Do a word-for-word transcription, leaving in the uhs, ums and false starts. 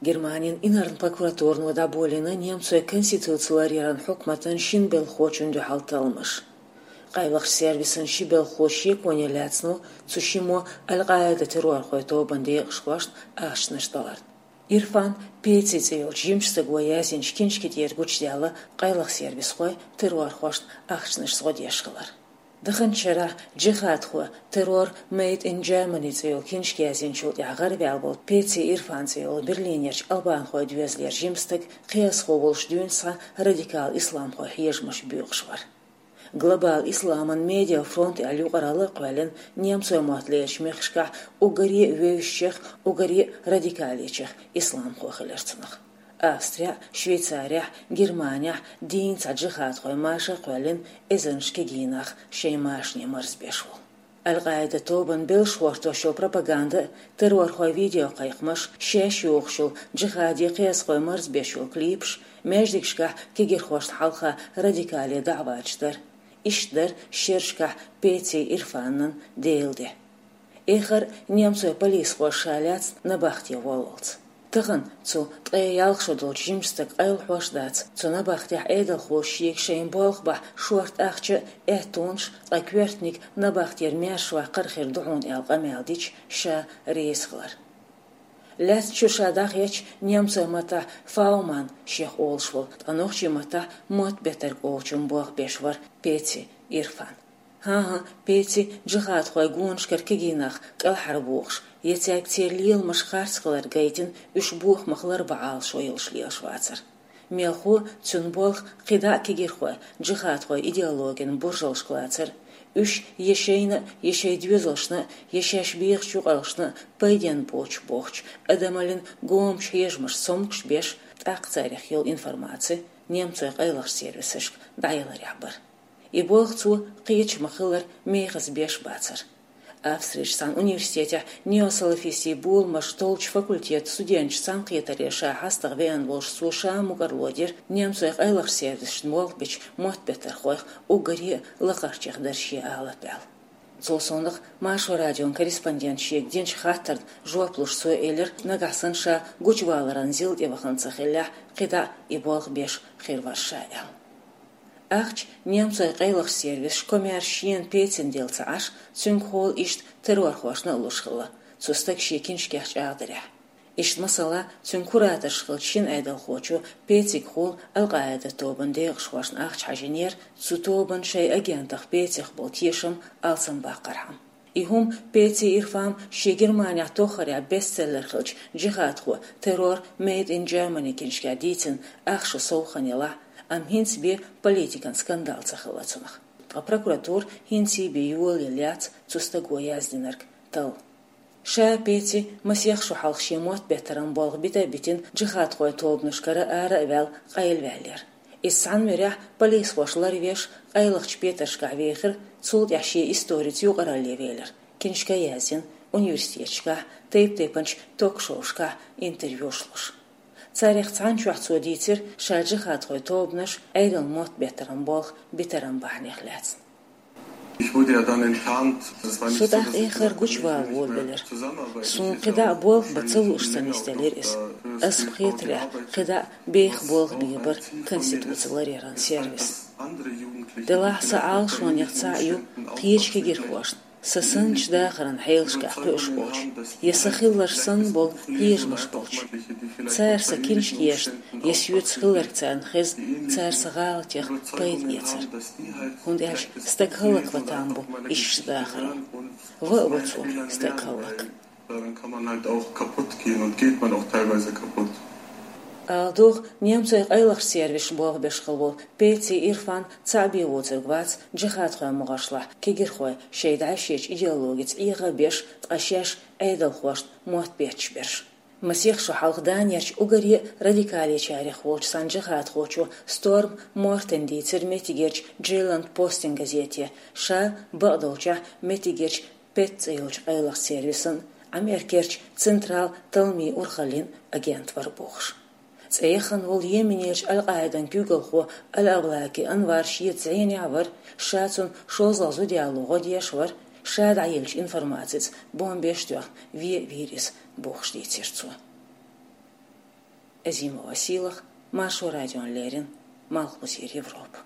Германин инарла прокуратуро дӀаболийна немцойн конституци ларъяран хьукматан шин белхалхочунна дуьхьал талламаш. Къайлахчу сервисан ши белхалхо шеконе лаьцна ву цу шиммо Аль-Къаида террорхойн тобанан декъашхошна ахчанаш даларна. Ирфан Пеци цӀе йолчу жимачу стага яздинчу киншки тӀера гучудаьлла къайлахчу сервисхойн террорхошна ахчанашца гӀо деш хилар. Даханчу шарахь «Джихадхой: Terror made in Germany» цӀе йолу киншка яздинчул тӀаьхьа гӀараваьлла волу Пеци Ирфан цӀе йолу Берлинерчу албанхойн доьзалера жима стаг кхиазхо волуш дуьйна схьа радикал исламхойн хьежамаш боькъуш вара. Глобал исламан медиа фронт аьлла юкъаралла а кхоьллина, немцойн мотт лерачу мехкашкахь уггаре а вевзачех, уггаре а радикалечех исламхо хилира цунах. Австрехь, Швейцарехь, Германехь дийна цхьа джихадхойн маша а кхоьллина, эзарнаш кегий нах шайн машане марзбеш волу. Аль-Къаида тобанан белшаш гӀортош йолу пропаганда а, террорхойн видеокхайкхамаш а, шаьш йохуш йолу джихади кхиазхой марзбеш йолу клипаш а, маьждигашкахь кегийрхошна хьалха радикале даӀваташ дар а. Иштта дара шерашкахь Пеци Ирфанан Делан де. Эххар а немцойн полисхоша ша лаьцна набахте воллалц. Тахана цу ткъе ялх шо долчу жимачу стага къайлахьош а дац, цу набахтехь Ӏедалхоша шега шайна болх бахь шорта ахча а, аьттонаш а, ткъа коьртаниг набахтера маьршаваккхар хир ду хьуна аьлла къамел дича, ша реза хилар. Лаьцначу ша дӀахецча, немцойн маттахь Фауман шех олуш волу, ткъа нохчийн маттахь мотт беттарг олучун болх беш вара Пеци Ирфан. ХӀан-хӀа, Пеци джихадхойн гонашкара кегий нах кӀелхьарбохуш, я цаьрга церан леламаш харц хилар гайтина, уьш бохамах ларбан Ӏалашо йолуш лелаш вацара. Мелхо, цуьнан болх кхидӀа а кегийрхойн, джихадхойн идеологин буржалшка лацар а, уьш я шайна а, я шайн доьзалшна а, я шаьш бехачу юкъараллашна а пайденна боцуш бохучу, адамаллин гомачу хьежамашца цомгуш беш, тӀаккха царех йолу информаци немцойн къайлахчу сервисашка дӀаяларехь бара. И болх цо кхечу ма-хиллара мехаза беш бацара. Австрерчу цхьана университетехь неосалафистийн боламаш толлучу факультетан студенташ цхьаьнакхетаре ша хьастагӀа веана волуш цо ша мукӀарло дира немцойн къайлахчу сервисашна болх бечу мотт беттархойх уггаре а лакхарчех дара шен алапа аьлла. Цул совнаха Маршо радион корреспондента шега динчу хаттарна жоп луш цо элира, нагахь санна ша гучуваларан зил тӀе вахана ца хиллехь, кхидӀа а и болх беш хир вара ша аьлла. Ахча немцойн къайлахчу сервисаша комаьрша шена Пецина делла ца Ӏаш, цуьнгахула иштта террорхошна а луш хилла, цу стага шен киншкех чӀагӀдарехь. Иштта, масала, цуьнан кураторш хиллачу шина Ӏедалхочо Пецигахула Аль-Къаида тобанан декъашхошна ахча хьажийнера, цу тобанан шайн агентах Пецих болу тешам алсамбаккхархьама. И хӀума Пеци Ирфан шен Германехь тоххарехь бестселлер хиллачу «Джихадхой: Terror made in Germany» киншкехь дийцина ах шо сов хан елахь, амма хӀинца бен политикан скандал ца хилла цунах. Ткъа прокуратура хӀинций бен йолаелла яц цу стага яздинарг талла. Ша Пеци масех шо хьалха шен мотт беттаран болх бита а битина, джихадхойн тобанашкара ара а ваьлла, къайлаваьллера. Иза цхьана муьрехь полисхоша ларвеш, къайлахчу петаршкахь вехира, цул тӀаьхьа шен историца юкъаралле велира, киншка а яздина, университеташкахь, тайп-тайпанчу ток-шоушкахь интервьюш луш. Царех цхьана чохь цо дийцира ша джихадхойн тобанаш, Ӏедалан мотт беттаран болх битаран бахьанех лаьцна. Ich wurde ja dann enttarnt. Со тӀаккха эххар гучувала волавелира. Суна кхидӀа а болх бан ца лууш ца нисделира иза. Ас-м хетарехь, кхидӀа а беха болх бийр бара конституци ларъяран сервис. Делахь сан Ӏалашонех цхьаъ ю кхечу кегийрхошна, сан санначу дахаран хьелашкахь кхуьуш болчу, я сан хилларш санна болу хьежамаш болчу. Цара сан киншка ешна, я соьца хилларг царна хезна, цара сан гӀалатех пайда эцар. ХӀунда аьлча стаг хӀаллакван там бу иштта дахаро. Ван а во цо стаг хӀаллак. Daran kann man halt auch kaputt gehen und geht man auch teilweise kaputt. Ала догӀу, немцойн къайлахчу сервисашна болх беш хилла волу Пеци Ирфан цхьаъ бен воцург вац джихадхойн могӀаршлахь кегийрхой шайн дӀаьшечу идеологица Ӏеха а беш, ткъа шаьш Ӏедалхошна мотт бетташ берш. Масех шо хьалха Данерчу уггаре а радикалечарех волчу цхьана джихадхочо Сторм Мортена дийцира меттигерчу Джейланд Постен газете, ша, бакъдолчехь, меттигерчу ПЕТ цӀе йолчу къайлахчу сервисан, Америкерчу Централ талламийн урхаллин агент вара бохуш. ЦӀе яххана волу Йеменерчу Аль-Къаидан куьйгалхо Аль-Авлаки Анвар шеца зӀенехь вара, ша цунна шозлагӀа зуда яло гӀо деш вара, ша дӀайиллачу информацица бомбеш а тоьхна вен а вийра иза, бохуш дийцира цо. Азимова Сийлах, Маршо радион леррин, Малхбузера Европа.